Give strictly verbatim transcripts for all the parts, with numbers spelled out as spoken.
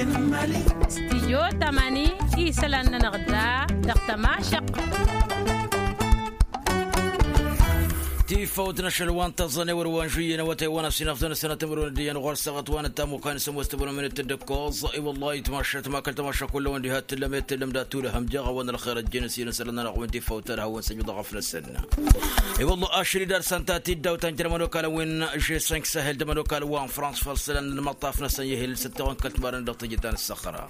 Stijyo tamani isălan-nănăɣ da dăɣ-tămašăq. Tifawt n-ašăl wa n-tăẓẓan ewăr wa n-žuyyen awătay wa n-asinăfḍăn sănăt timǝrwen d-iyyăn ɣur-săɣăt wa n-ăttamukăn s-ămoos tăbănămnet d-ǝkkoẓ. I-wăllah itmašat ma kăl-tămašăk kullăwăn diha t-tǝllăm i-t-tǝllăm d-ad-tulăhăm jeɣ a-wa n-ălxer ăjjeen s-inăsălăn-nănăɣ wi n-tifawt ad-hawăn-săjjăḍ ɣăf-năsăn. I-wăllah ašăl-i d-ad-săn ta tiddawt ta n-jer-ămănokal a-wen žesănk săhel d-ămănokal wa n-frans făll-isălan n-imăṭṭaf-năsăn i-ehel s-ăttoɣăn kăl-timarăn dăɣ-teje ta n-ăssăxra.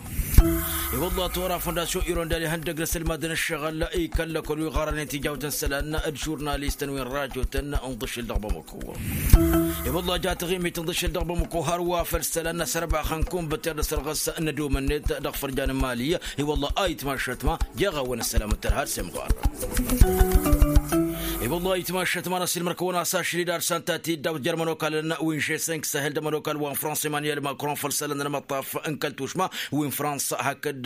I-wăllah tora fondasyon irondal ihăndăg n-asǝlmadăn ǝššăɣǝl ikăl-lăkol wi ɣarănen tijawt n-isălan d-žurnalistăn wi n-rajotăn n-iḍǝššel dăɣ-bamăko. I-wăllah ja taɣimit n-iḍǝššel dăɣ-bamăko hărwa făll-isălan n-asărbax n-kunbăter d-asărɣǝs n-ădomănnet dăɣ-fărjan n-mali. I-wăllah a itmašat ma jeɣ-awăn ăssălam n-tărhad s-imɣar. I-wăllah itmašat ma n-asǝlmăr-kăwăn-as ašăl-i d-ad-săn ta tiddawt jer-ămănokalăn wi n-žesănk săhel d-ămănokal wa n-frans emanuel macron făll-isălan n-imăṭṭaf n-kăl-tušma wi n-frans hakd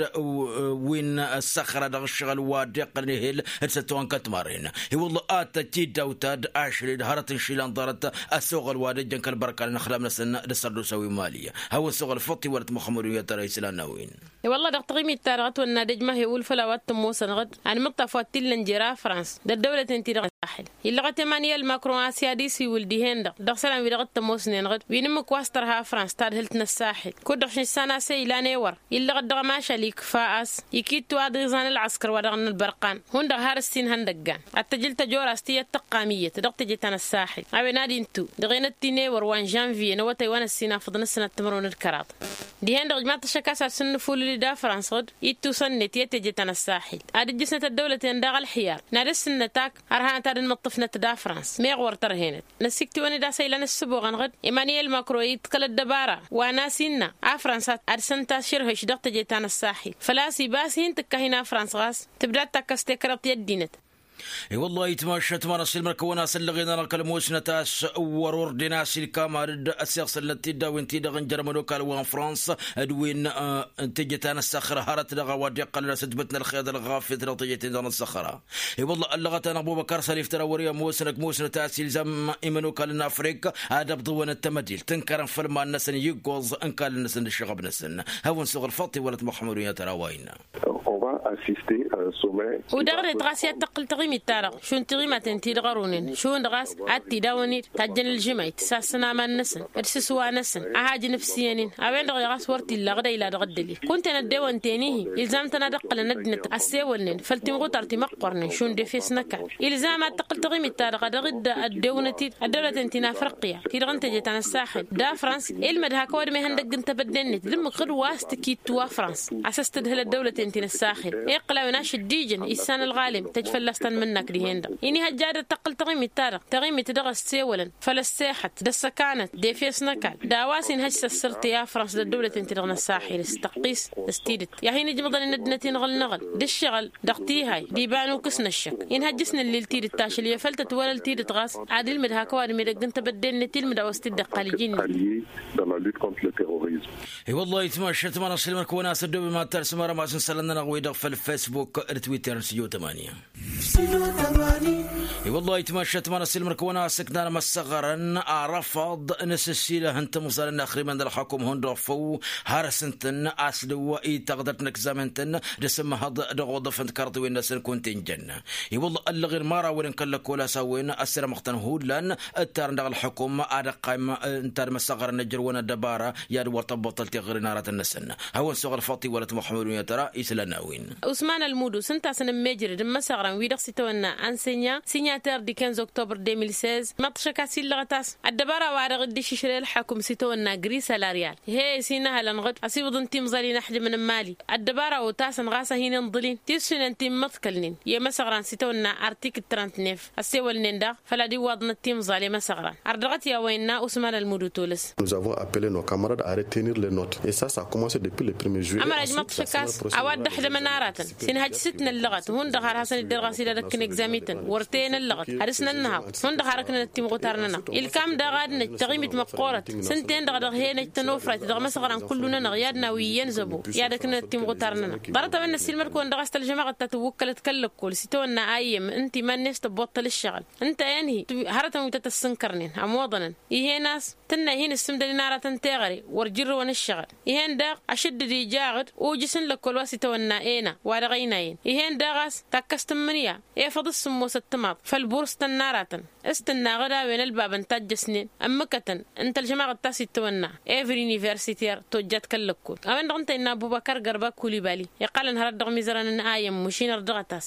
wi n-ăssăxra dăɣ-ǝššăɣǝl wa dd-iqqălăn ehel d-săttoɣăn kăl-timarren. I-wăllah ad-tăj tiddawt ta d-ašăl-i d-hărăt n-išilan ḍarăt ăsoɣăl wa d-ăjjăn kăl-bărkalăn ăxlam-năsăn d-asărdusa wi n-mali. Hawăn-soɣăl făṭṭ iwălăt muxămmăd wi n-ad-tăra islan n-a-wen. I-wălla dăɣ-taɣimit-ta-dăɣ ătwănna d-ejmah i-wulfăl a-wa t-ămoosăn ɣǝd anmǝṭṭaf wa t-illăn jer-afrans d-ăddăwlăten-ti-dăɣ n-ăssaxil illăɣăt emanuel macron a-s i-ad-isiwǝl dihen-dăɣ dăɣ-isălan-wi-dăɣ t-ămoosnen ɣǝd wi n-ǝmmǝk wa s-tărha afrans tadhǝlt n-ăssaxil kud-dăɣ šǝšsan a-s e-ilan ewăr illăɣăt dăɣ-ămašal ikfa a-s ikittu aḍiẓan ălɣăskăr wa dăɣ-nălbărqan hundăɣ har ǝssin ihăndăggan ad-tăjǝl tăjora s-tiyyăt tăqqam iyyăt dăɣ-teje ta n-ăssaxil a-wen ad-intǝw dăɣ-enăt-ti n-ewăr wa n-žănviye n-awătay wa n-ăssinafăḍ n-ǝssǝnăt timărwen d-kăraḍ. Dihen-dăɣ ǝjmaḍ-t ăššăk a-s ad-sǝnnǝfulǝl-dd afrans ɣǝd ittusăn-net i-teje ta n-ăssaxil ad-ǝjjǝsnăt ăddăwlăten daɣ ălxiyar n-ad-ăssǝnnăt ak ărhanăt ad-ănmǝṭṭǝfnăt d-afrans meɣ wăr tărhenăt. Năsiktǝwăn-dd a-s ăylan ăssǝboɣăn ɣǝd emanuel macron iḍkăl ăddăbara wa n-a-s innă afrans ad-săn-tašărhǝš dăɣ-teje ta n-ăssaxil făl-a-s iba a-s hin-tǝkkahin afrans ɣas tǝbda d-takkăs tekreḍt i-ăddinăt. I-wăllah itmašat ma n-asilmăr-kăwăn-as ăllăɣen-anăɣ kăl-musnăt a-s wăr-orden a-s ilkamal-dd ăsiɣsălnăt tiddawen-ti-dăɣ n-jer-ămănokal wa n-frans d-win n-teje ta n-ăssăxra hărăt dăɣ-a-wa dd-iqqălăn asǝtbǝt n-ălxer d-ălɣafyăt dăɣ-teje-ten-dăɣ n-ăssăxra. I-wăllah ăllăɣăt-anăɣ bubăkar sălif tăra wăr-i ămoosnăk musnăt a-s ilzam imănokalăn n-afrika ad-ăbḍǝwăn d-tamădilt ǝnkărăn făll-iman-năsăn i-iggoẓ ǝnkal-năsăn d-ǝššăɣăb-năsăn. Hawăn-suɣ ălfaṭṭi wălăt muxămmăd-wi n-ad-tăra wa innă. Udaɣ-net ɣas i-ad-tăqqǝl taɣimit-ta-dăɣ šund tiɣimaten-ti-dăɣ ărunen šund ɣas ad-t-idawăn-dd tajjăn ǝlžǝmayt s-assăn aman-năsăn d-sǝswa-năsăn a hajǝn ǝfsǝyăn-in. A-wen-dăɣ i-ɣas wăr t-illa ɣǝd a ila dăɣ-ăddălil kunta-en ăddewăn-ten-ihi ilzam-tăn ad-ǝqqǝlăn ăddinăt ăssewălnen făll-timɣutar ti măqqornen šund efes n-ăkall. Ilzam ad-tăqqǝl taɣimit-ta-dăɣ a dăɣ-dd-ăddewnăt-dd ăddăwlăten ti n-afriqya ti-dăɣ n-teje ta n-ăssaxil d-afrans. Ilmăd hak ăwadǝm ihăndăgg n-tebădde-net d-ǝmmǝk ɣǝd wa s-tǝkittu afrans a-s ăstǝdhǝl ăddăwlăten ti n-ăssaxil. Iqqǝl a-wen ašăl d-ijăn issan ălɣalem tăj fălla-s tanmǝnnak dihen-dăɣ inihăjja ad-tăqqǝl taɣimit-ta-dăɣ taɣimit dăɣ-ăssewălăn făll-ăssexăt d-ăssăkanăt d-efes n-ăkall d-a-wa s-inhăj s-ăssărtăy afrans d-ăddăwlăten ti-dăɣ n-ăssaxil s-tăqqis s-tidǝt i-ad-hin-ǝjmǝḍăn inăddinăt-in ɣǝl-năɣăl d-ǝššăɣǝl dăɣ-tihay d-iba n-ukǝs n-ăššăk. Inhăjj s-nǝllil tidǝt ašăl i-afăl tătwălăl tidǝt ɣas ad-ilmǝd hak ăwadǝm edăgg n-tebădde-net ilmǝd a-wa s-t-dd-iqqal iji-net. I-wăllah itmašat ma n-asǝlmăr-kăwăn-as ăddoob iman-ta d-sǝmărăm-as n-isălan-nănăɣ-wi-dăɣ făll-fesbuk d-twitter n-sǝjo tămani. I-wăllah itmašat ma n-asǝlmăr-kăwăn-as ǝknan imăssăɣărăn arăfaḍ n-asǝssilăh n-timẓalăn n-axrimăn d-ălxăkum hundăɣ făw har s-ǝntăn a-s dăw-i taɣdărt n-ăkzamen-tăn d-asǝmmăhăḍ dăɣ-oḍăf n-tikarḍiwen-năsăn kunta-injăn. I-wălla ăllăɣen mărawăn n-kăl-lăkol a-s a-wen ăssirămăɣ-tăn hullan ǝttarăn dăɣ-ălxukum ad-ăqqayăm ǝnta d-imăssăɣărăn ǝjrǝwăn ăddăbara i-ad-wăr tăbbuṭăl tiɣri n-aratăn-năsăn. Hawăn-suɣ ălfaṭṭi wălăt muxămmăd-wi n-ad-tăra isălan n-a-wen. Usman ălmudu s-ǝnta a-s ănămmejrăd n-imăssăɣărăn wi-dăɣ s-itawănna ănsenya signataire du quinze octobre deux mille seize măṭṭăšăk a-s illăɣăt a-s ăddăbara-wa-dăɣ dd-išǝšrăy ălxăkum s-itawănna gri salarial. He-e s-inăhălăn ɣǝd ăsiwǝḍăn timẓal-in ăḥjǝmăn n-imali ăddăbara otasăn ɣas a hin-inḍǝl-in tissunen ti n-imǝḍkălnen i-imăsăɣran s-itawănna artikǝl trant-nef ăssewălnen daɣ făll-ad-iwwaḍnăt timẓal i-imăsăɣran. Ărdăɣăt i-a-wa innă usman ălmudu tolăs. Nous avons appelé nos camarades à retenir les notes et ça ça a commencé depuis le premier juillet. Ămăraj măṭṭăšăk a-s a-wa dd-ăḥdămăn aratăn s-inhăj s-t-năllăɣăt hundăɣ har hasăn-dd-ărɣas idadăkk n-egzamităn wăr te. N-ăllăɣăt ad-dăɣ-s nănnăhaḍ hundăɣ har ǝknănăt timɣutar-nănăɣ. Ilkam daɣ ad-năj taɣimit măqqoorăt s-ǝnta-en-dăɣ a dăɣ-he-năj tănofrayt dăɣ-imăsɣăra n-kullu-nănăɣ i-ad-nawǝy iyyăn zăbo i-ad-ǝknănăt timɣutar-nănăɣ. Ḍarăt a-wen năssiilmăd-kăwăn dăɣ-a-s tălžămaɣăt ta tǝwwǝkkălăt kăl-lăkkol s-itawănna a iyyăm ǝnta iman-net tăbboṭṭăl ǝššăɣǝl ǝnta-en-hi. Hărătăn wi tăt-ăssǝnkărnen ămoḍănăn. Ih'-en a-s tǝnna ihi n-ǝssǝmdănen aratăn teɣăre wăr jǝrrǝwăn ǝššăɣǝl. Ih'-en daɣ ašǝddǝd ija aɣǝd ujǝs n-lăkkol wa s-itawănna ena wa dăɣ-ăynayăn. Ih'-en daɣ a-s takkăst n-imǝnǝya efăḍ s-sǝmmosăt timaḍ făll-burǝstăn n-aratăn s-tǝnnaɣ d-a-wen ălbabăn tajjăsnen ǝmmǝkătăn n-tălžămaɣăt ta s-itawănna ever universiter tojjat kăl-lăkkol. A-wen-dăɣ ǝnta innă ăbubăkăr gărba kulibali iqqălăn hărăt dăɣ-imizărăn n-ayǝm mušin ărdăɣăt-as.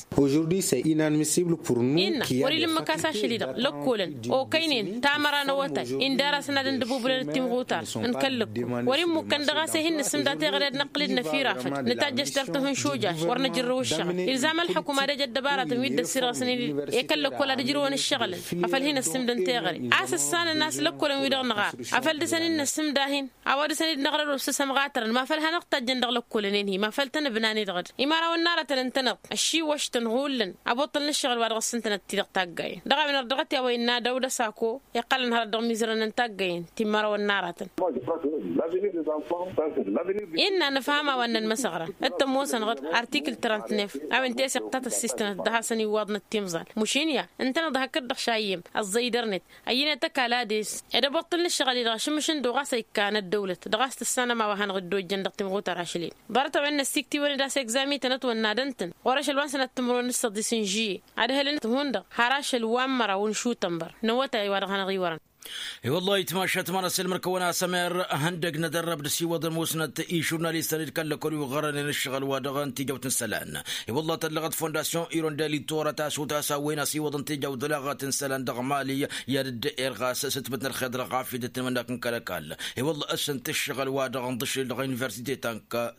Innă wăr-ila ǝmmǝk a-s ašăl-i-dăɣ lăkkolăn okăynen tamăra n-awătay indar-asăn ad-ǝndăbubǝlăn d-timɣutar n-kăl-lăkkol. Wăr-immukkăn dăɣ-a-s e-hin-nǝssǝmda teɣăre ad-năqqǝl-dd năfirafăd nǝtajjăš tertăh n-išujaš wăr nǝjǝrrǝw ǝššăɣǝl. Ilzam ălḥukum ad-ăj ăddăbaratăn wi dd-ăssirɣǝsnen i-kăl-lăkkol ad-ǝjrǝwăn ǝššăɣǝlăn afăl hin-ăssǝmdăn teɣăre. A-s ǝssanăn a-s lăkkolăn-wi-dăɣ nǝɣar afăl dăɣ-săn-in-nǝssǝmda-hin a-wa dăɣ-săn-dd-năɣrăd osǝsăm ɣatărăn ma făl hanăɣ-tajjăn dăɣ-lăkkolăn-en-hi ma făl tăn-ǝbnan-i-dăɣ d-imărawăn n-aratăn ǝntăneḍ ăššiwăš-tăn hullan. Ăboṭṭăl n-ǝššăɣǝl wa dăɣ-s ǝntănăt-ti-dăɣ taggayen dăɣ-a-wen ărdăɣăt i-a-wa innă dăwd-ăsako iqqălăn hărăt dăɣ-imizărăn n-taggayen ti n-imărawăn n-aratăn. Innă nǝfham a-wa ǝnnăn măsăɣra d-tămoosănăɣ-dd artikǝl trăntnef a-wen teseɣt ta tăssistănăt dăɣ-hasăn-iwwaḍnăt timẓal mušin ya ǝntăneḍ hakd-dăɣ šayyăm ăẓẓăydărnet. Ăyyănet ăkall ad-es ed ăboṭṭăl n-ǝššăɣǝl-i-dăɣ ašǝmmǝš n-dd-oɣas a ikkan ăddăwlăt dăɣ-a-s tǝssanăm a-wa hanăɣ-dd-ojjăn dăɣ-timɣutar ašăl-en. Ḍarăt-a-wen năssiktǝwăn-dd a-s egzam-ităn ătwănna dăɣ-tăn ɣur-ašăl wa n-sănat timǝrwen d-săḍis n-žiyye ad-ehălăn hundăɣ har ašăl wa n-măraw n-išutănbăr n-awătay wa dăɣ-hanăɣ-iwărăn. I-wăllah itmašat ma n-asǝlmăr-kăwăn a-s ămer ihăndăg n-ad-ărrăb d-asiwăḍăn musnăt i-žurnalistăn d-kăl-lăkol wi ɣărănen ǝššăɣǝl wa dăɣ-n tijăwt n-isălan. I-wăllah tăllăɣăt fondasyon irondel ittorăt a-s otas a-wen asiwăḍăn tijăwt d-laɣăt n-isălan dăɣ-mali i-ad-dd-erɣas s-ǝtmǝt n-ălxer dăɣ-ɣafyăt d-tinmănnak n-kăl-ăkall. I-wăllah ǝssǝnt ǝššăɣǝl wa dăɣ-nḍǝšǝl dăɣ-universite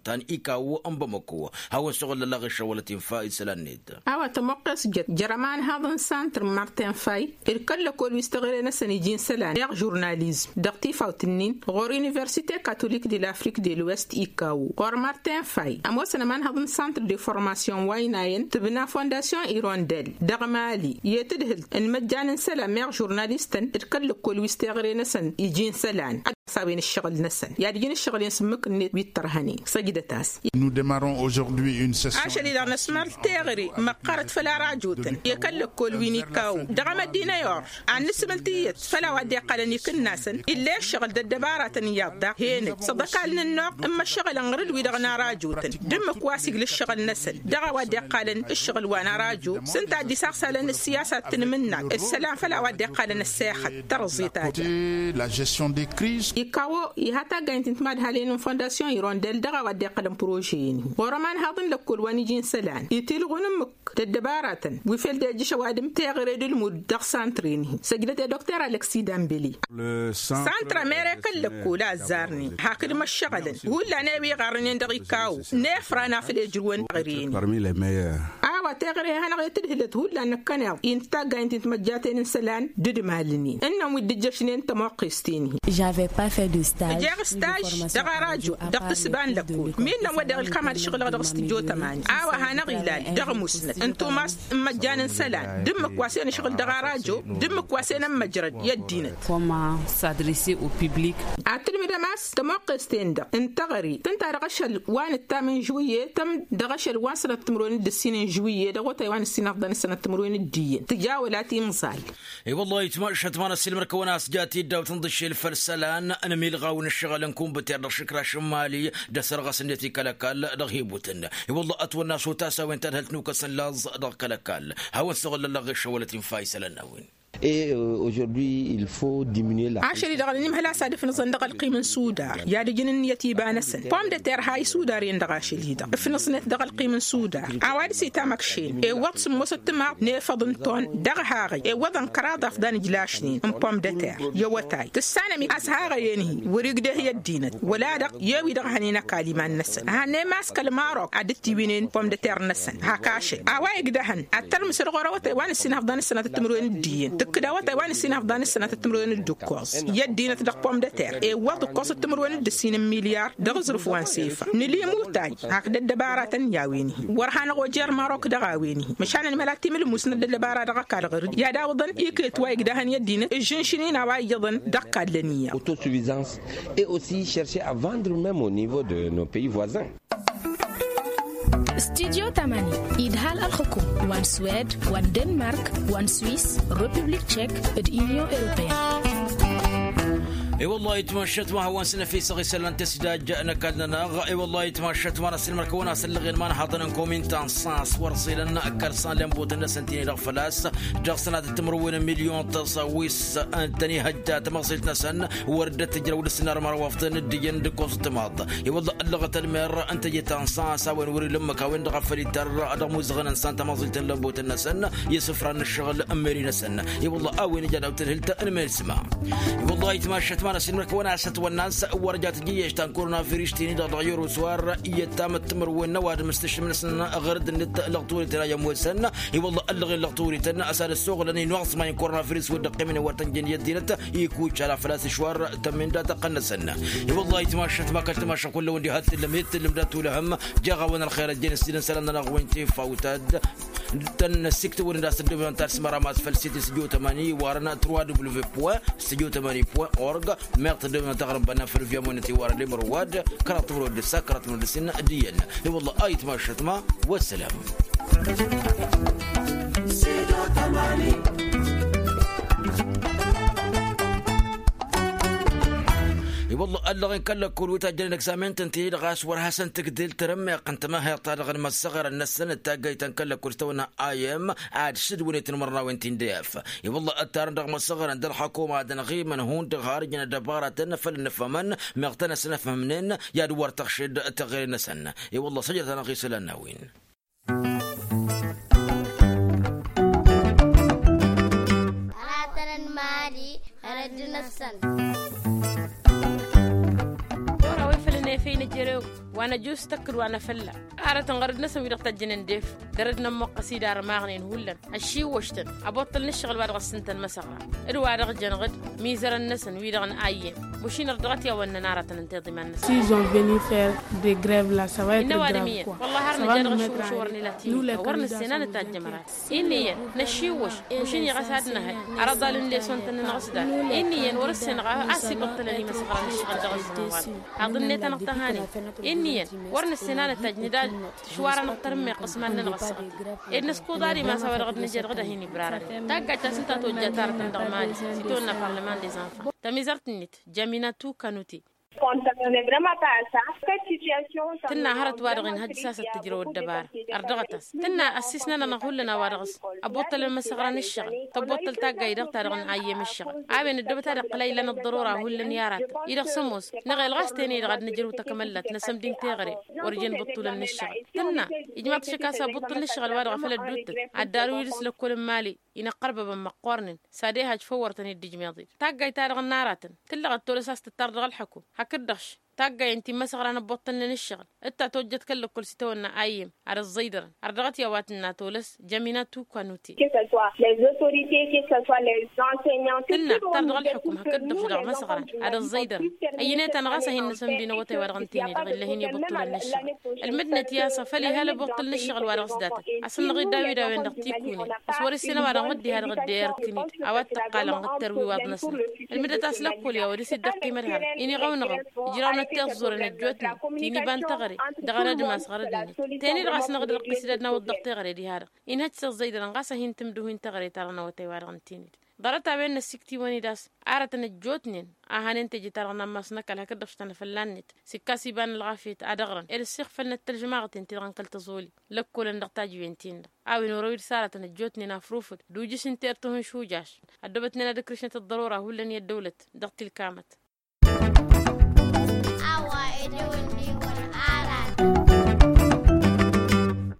ta n-ikawo n-bamako hawăn-suɣǝl lălăɣ išăwălăt infa isălan-net. A-wa tămoqqes jăt jer-ămanhaḍ n-santr n-martin fay d-kăl-lăkol wi s-teɣăre-năsăn iji n-isălan meɣ žurnalizm dăɣ-tifawt-nin ɣur-universite katolik de l'afrik de l'ouest ikawo ɣur-martin fay ămoosăn ămanhaḍ n-santr de formasyon wa ăynayăn tǝbna fondasyon irondel dăɣ-mali i-tǝdhǝlt n-imăjjan n-isălan meɣ žurnalistăn d-kăl-lăkol wi s-teɣăre-năsăn iji n-isălan. Ad-dăɣ-s a-wen ǝššăɣǝl-năsăn i-ad-ǝjǝn ǝššăɣǝl-en s-ǝmmǝk-net wi t-ărhănen săjdăt-as. Ašăl-i-dăɣ năsmăr teɣăre măqqărăt făll-arajotăn i-kăl-lăkkol wi n-ikawo dăɣ-emăddinăy or ad-nǝsmǝl tiyyăt făll-a-wa dd-iqqălăn ikǝnnasăn ill'-e ǝššăɣǝl d-ăddăbaratăn iyyăḍ daɣ henăj s-ăḍăkal n-ănnuɣ n-imăššăɣǝlăn ɣur-dd-wi-dăɣ n-arajo-tăn d-ǝmmǝk wa s-igl' ǝššăɣǝl-năsăn dăɣ-a-wa dd-iqqalăn ǝššăɣǝl wa n-arajo s-ǝnta a dd-isaɣsalăn ǝssiyasa d-tinmǝnnak d-isălan făll-a-wa dd-iqqalăn ăssexăt tărẓet a-dd-ikawo iha taggaynt n-timadhalin n-fondasyon irondel dăɣ-a-wa dd-iqqălăn prože-in-hi ɣur-ămanhaḍ n-lăkkol wa n-iji n-isălan itilɣu n-ǝmmǝk d-ăddăbaratăn wi fel dd-ejjǝš ăwadǝm teɣăre d-ǝlmud dăɣ-santr-in-hi săjdăt i-dr alăksi dambeli. Santr ămere kăl-lăkkol a ăzzarnen hakd măššăɣǝlăn hullan i-wi ɣarrănen dăɣ-ikawo n-efran afăl ejrǝwăn teɣăre-in-hi. A-wa teɣăre hanăɣ-e tǝdhǝlăt hullan năkkăneḍ i n-taggaynt n-timăjjaten n-isălan d-ǝdmalnen ǝnnăn wi dd-ǝjjăšnen tămoqqest-in-hi. Ǝjeɣ staj dăɣ-arajo dăɣ-tǝssǝba n-lăkkol mi ǝnnăn wădden ǝlkam ad-ǝšɣǝlăɣ dăɣ-s tǝjot ămani a-wa hanăɣ-ilal dăɣ-musnăt n-tumast n-imăjjan n-isălan d-ǝmmǝk wa s-en ǝšɣǝl dăɣ-arajo d-ǝmmǝk wa s-en ămmăjrăd i-ăddinăt. Ad-tǝlmǝdăm a-s tămoqqes-ten-dăɣ n-teɣăre tǝnta dăɣ-ašăl wa n-ǝttam n-žuwǝyye tăm dăɣ-ašăl wa n-sănăt timǝrwen d-ǝssin n-žuwǝyye dăɣ-otay wa n-ǝssin ăfḍăn d-sănăt timǝrwen d-iyyăn tǝja wăla timẓal. I-wăllah itmašat ma n-ăssiilmăr-kăwăn a-s jat-dd a-wa tǝnḍǝššel făll-isălan n-amilɣaw n-ǝššăɣǝl n-kumbǝter dăɣ-išǝkraš n-mali d-asărɣăs-net i-kăl-ăkall dăɣ-hi-butǝn. I-wăllah ătwănna s-otas a-wen tadhǝlt n-ukăs n-laẓ dăɣ-kăl-ăkall hawăn-săɣǝl lălăɣ išăwălăt infa isălan n-a-wen. Ašăl-i-dăɣ ănimhăl a-s ad-ǝfnǝẓăn dăɣ-ălqim n-sudar i-ad-ǝjǝn ǝnniyăt iba-năsăn pom d-ăter ha isudar-en dăɣ-ašăl-i-dăɣ ǝfnǝẓnet dăɣ-ălqim n-sudar a-wa dăɣ-s itam ăkšen iwwăḍ sǝmmosăt timaḍ n-efăḍ n-ton dăɣ-haɣăy iwwăḍăn kăraḍ afḍăn ǝjlašnen n-pom d-ăter i-awătay tǝssanăm-ik a-s haɣăy-en-hi wăr-igdeh i-ăddinăt wăla-dăɣ i-wi-dăɣ hănen ăkall iman-năsăn a hănnăy mass kăl-marok ad-dd-tiwǝynen pom d-ăter-năsăn hak ašăl a-wa igdăhăn ad-tărmǝsăd ɣur-awătay wa n-ǝssin hăfḍăn d-sănatăt timǝrwen d-iyyăn. Tǝkkǝd awătay wa nǝssin afḍan ǝssănatăt timǝrwen d-ǝkkoẓ i-ăddinăt dăɣ-pomdăter ewăḍ ǝkkoẓăt timǝrwen d-ǝssin n-milyar dăɣ-aẓrǝf wa n-sefa. Nǝli imutaj hakd ăddăbaratăn i-a-wen-hi wăr hanăɣ-ojer marok dăɣ-a-wen-hi. Măšan ănmăla timǝlmusnăt d-ăddăbara dăɣ-ăkall ɣăr-dd i-ad-awǝḍăn iket wa igdahăn i-ăddinăt ǝžžǝnšǝn-in a-wa iyyăḍăn dăɣ-kallăn iyyăḍ. Autosuffisance et aussi chercher à vendre même au niveau de nos pays voisins. Studyo tamani idhal ălxukum wa n-swed wa n-denmark wa n-swis republik tchek d-inyon europeen. I-wăllah itmašat ma hawăn-s năfisăɣ isălan tăsidaj n-ăkall-nănăɣ. I-wăllah itmašat ma n-asǝlmăr kăwăn-asăllăɣen ma n-haḍăn n-komintan s-a-s wăr-ẓilăn kăl-san lembotăn-năsăn tini-dăɣ făl-a-s dăɣ-sănatăt timǝrwen n-milyon tăẓawis. Tăn-ihăjja tamăẓilt-năsăn wăr dd-tǝjrăw d-asǝnnar măraw afḍăn d-iyyăn d-ǝkkoẓ d-timaḍ. I-wălla ăllăɣăt ălmer n-teje ta n-sas a-wen wăr-ila ǝmmǝk a-wen-dăɣ a făl ittăr dăɣ-imuzăɣăn n-san tamăẓilt n-lămbotăn-năsăn i-isǝfran n-ǝššăɣǝl n-meri-năsăn. I-wălla a-wen ija daw-tǝlhǝlt n-meri s-ma. I-wălla itmašăt ma n-asǝlmăr kăwăn-asăt wănna-s wăr ja tǝjǝyyeš ta n-korona virus tini-dăɣ dăɣ-yeroswar i-ăttamăt timǝrwen n-ăwadǝm s-tǝššǝm-năsăn ɣăr dd-nǝt lăɣ-tawărităn a i-ămoosăn. I-wălla ăllăɣen lăɣ-tawărităn ăsadăssoɣlăn inuɣẓma n-korona virus wăr dd-ăqqimnen wăr tăn-jăn i-ăddinăt. Ikuccal a făl-a-s išwar tămmin dat-ăqqăn-năsăn. I-wălla itmašăt ma kăl-timašăt kull-a-wen diha t-tǝllăm i-t-tǝllăm dat-tulăhăm. Jaɣ-a-wen ălxer ăjjeen s-tǝdăn isălan-nănăɣ wi n-tifawtad. Tăn-năsiktăwăn-in d-asǝddăwăn ta s-măra ma s-făl-sit s-jotamani warăn trois w point studio tamani point org. Meɣ tăddăwăn taɣrǝmba n-afăl via monăt iwarăn limărwad kăraḍ timǝrwad d-ǝssa kăraḍ timǝrwad d-ǝssin. D-iyyăn. I-wălla a itmašăt ma. Wăssălam. I-wălla ăllăɣen kăl-lăkkul wi tajjănen egzamen-tăn tini-dăɣ a-s wăr hasăn-tǝgdǝl tărǝmmeɣt n-tămăhhăyăḍ-ta-dăɣ n-imăssăɣărăn-năsăn d-taggayt ta n-kăl-lăkkul s-tăwănna. Ayăm ad-sǝdwǝnet n-imărnawen ti n-dăyăf. I-wălla ăttarăn dăɣ-imăssăɣărăn d-ălxăkuma ad-ănɣimăn hundăɣ har ǝjǝn ăddăbaratăn făll-ǝnnǝfhămăn. Meɣ tăn-ăsnăfhămnen i-ad-wăr tăɣšed teɣăre-năsăn. I-wălla săjdăt-anăɣ isălan n-a-wen. Aratăn n-imali ɣărădd-năsăn. Ora wa ifălăn efăy n-ejărew wa n-ăjus tăkkǝd wa n-afălla. Aratăn ɣărădd-năsăn wi-dăɣ tăjjănen d-efăy dăr-dd nămmoqqăs-dd armaɣnen hullan ăššiwwăš-tăn. Ăboṭṭăl n-ǝššăɣǝl wa dăɣ-s ǝntăn măsăɣra d-wa-dăɣ jăn ɣǝd mizărăn-năsăn wi-dăɣ n-ayyem. Mušin ărdăɣăt i-a-wăn nănarătăn ǝnta iḍiman-năsăn. S'ils ont venu faire de grève la sava être grave quoi. Innă ăwadǝm iyyăn wăllah har nǝja dăɣ-ašǝwwǝš wăr nǝla tini wăr nǝssen a nǝtajj ămărat. Innă iyyăn năššiwwăš mušin-i ɣas ad-nǝhăy ărăḍal n-lesson-tăn-nănăɣ s-dad. Innă iyyăn wăr-ǝssen ɣas a-s ibăṭṭălăn imăsăɣra n-ǝššăɣǝl dăɣ-ăzzăman wa-dăɣ haḍ-net-anăɣ tăhanen. Innă iyyăn wăr nǝssen a nǝtajj nǝdad tǝšwar-anăɣ tărǝmmeɣt s-iman-nănăɣ ăssaɣăt. Ed nǝskǝḍar imas a-wa dăɣ-dd-nǝja dăɣ-dd-ad-hin-ibrarăn taggajt ta-s ǝnta a tojjat aratăn dăɣ-mali s-itawănna parlement des enfants. Tamizărt-net jamina tukanute. Tǝnna hărăt wa-dăɣ inhăjj s-asăt tǝjrăw ăddăbara. Ărdăɣăt-as tǝnna ăssiisnăn-anăɣ hullan a-wa-dăɣ s-ăboṭṭălăn imăsăɣra n-ǝššăɣǝl tăboṭṭăl taggayt dăɣ-ta-dăɣ n-ayyem ǝššăɣǝl. A-wen ăddăbăt ad-iqqǝl a ilan ăḍḍărora hullan i-aratăn-i-dăɣ s-ămoos năɣel ɣas tene-dăɣ ad-nǝjrǝw takămăllat n-asămdi n-teɣăre. Wăr jen bǝṭṭulăn n-ǝššăɣǝl tǝnna ijmaḍ šăkk a-s abuṭṭǝl n-ǝššăɣǝl wa dăɣ-a făl ădduuttăt ad-darǝw idǝs lăkkol n-mali. Inăqqărbăbăn măqqoornen s-ad-ehaj făw wăr tăn-dd-ijmeḍ-dd taggayt-ta-dăɣ n-aratăn tǝllăɣăt tolăs a-s tǝttar dăɣ-ălḥăkum. Hakd-dăɣ-š taggayen ti n-imăsăɣra n-ăbbuṭṭălnen ǝššăɣǝl d-ta tojjăt kăl-lăkkol s-itawănna ayyem ad-ăẓẓăydărăn. Ărdăɣăt i-a-wa tǝnna tolăs jămina tukanute. Tǝnna tar dăɣ-ălḥukum hakd-dăɣ-š dăɣ-imăsăɣran ad-ăẓẓăydărăn. Ăyyănet-anăɣ a-s a hin-nǝsǝmdǝy n-awătay wa dăɣ-nǝtǝyne dăɣ-illăh-in i-băṭṭulăn n-ǝššăɣǝl. Ălmǝdnăt i-a-s a făl iha ălbuṭṭǝl n-ǝššăɣǝl wa dăɣ-s datăn a-s ǝnnăɣ-dd a-wi d-a-wen dăɣ-tikunen s-wăr-ǝssin ăwadǝm wăr dd-iha dăɣ-dd-iyărkǝn-dd a-wa t-ǝqqalăn ɣǝttăr wi iwaḍ-năsnăt. Ǝlmǝdăt a-s lăkkol i-a-wa dăɣ-s dd-ăqqimăd hărăt iniɣăw-năɣăw ǝjrawnăt tiẓẓuren ăjjootnen ti n-iba n-teɣăre dăɣ-anădmas ɣărăd-net. Teni-dăɣ a-s năɣ-dd-răqqis d-ad-nawăḍ dăɣ-teɣăre diha-dăɣ inhăj s-ăẓẓăydărăn ɣas a hin-tǝmdǝw hin-teɣăre-ta-dăɣ n-awătay-wa-dăɣ n-tinǝd. Ḍarăt-a-wen n-ăssiktǝwăn-dd a-s aratăn ăjjootnen a hanen teje-ta-dăɣ n-ammas n-ăkall hakd-dăɣ š-tanăfălla-net s-ikkas iba n-ălɣafyăt ad-ăɣrăn ed ăssiixfălnăt tălžămaɣăten-ti-dăɣ n-kăl-tăẓoli. Lăkkolăn dăɣ-tajǝwen-tin-dăɣ a-wen orăw-dd s-aratăn ăjjootnen afrufǝd d-ujǝs n-tertǝhu n-šujaš. Ăddoobătnen ad-ǝkrǝšnăt ăḍḍărora hullan i-ăddăwlăt dăɣ-tilkamăt.